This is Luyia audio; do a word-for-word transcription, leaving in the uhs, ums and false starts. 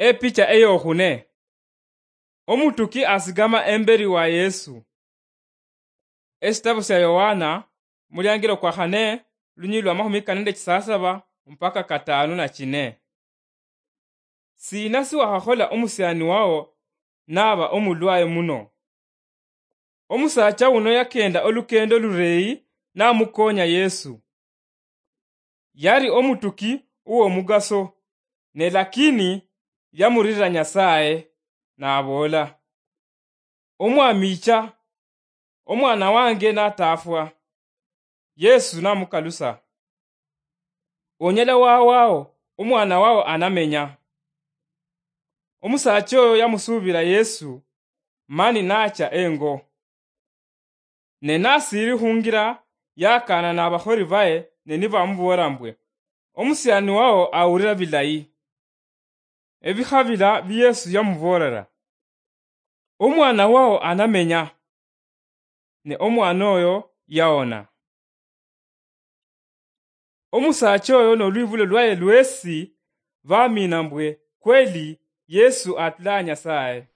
Epicha eyokhune. Omutuki asigama emberi wa Yesu. Esitabu sya Yohana, muliangiro kwa khane, lunyili lwa makhumi kane nende chisasaba mpaka katanu na chine. Sina siwakhakhola omusiani wao naba omulwaye muno? Omusaacha uno yakenda olukendo lureyi namukonya Yesu. Yari omutuki uwomugaso, ne lakini yamurira Nyasaye, naboola, "Omwami icha, omwana wange natafwa." Yesu namukalusa, "Onyala wawao, omwana wao anamenya." Omusaacha oyo yamusuubira Yesu, mani nacha engo. Ne nasiiri khungira, yakaana nabakholi baye, ne nibamuboolera mbwe, "Omusiani wao awulira bilayi." Ebikhabila bi Yesu yamuboolera, "Omwana wao anamenya." Ne omwana oyo yaona. Omusaacha oyo nolwibulo lwaye lwesi bamina mbwe kweli Yesu atula Nyasaye.